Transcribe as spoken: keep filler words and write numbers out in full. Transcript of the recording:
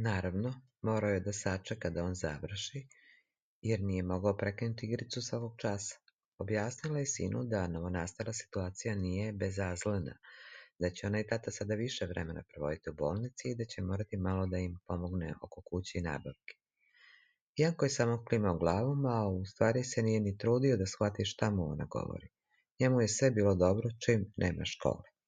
Naravno, morao je da sačeka da on završi, jer nije mogao prekinuti igricu svakog časa. Objasnila je sinu da novonastala situacija nije bezazlena, da će ona i tata sada više vremena provoditi u bolnici i da će morati malo da im pomogne oko kuće i nabavke. Janko je samo klimao glavom, a u stvari se nije ni trudio da shvati šta mu ona govori. Njemu je sve bilo dobro čim nema škole.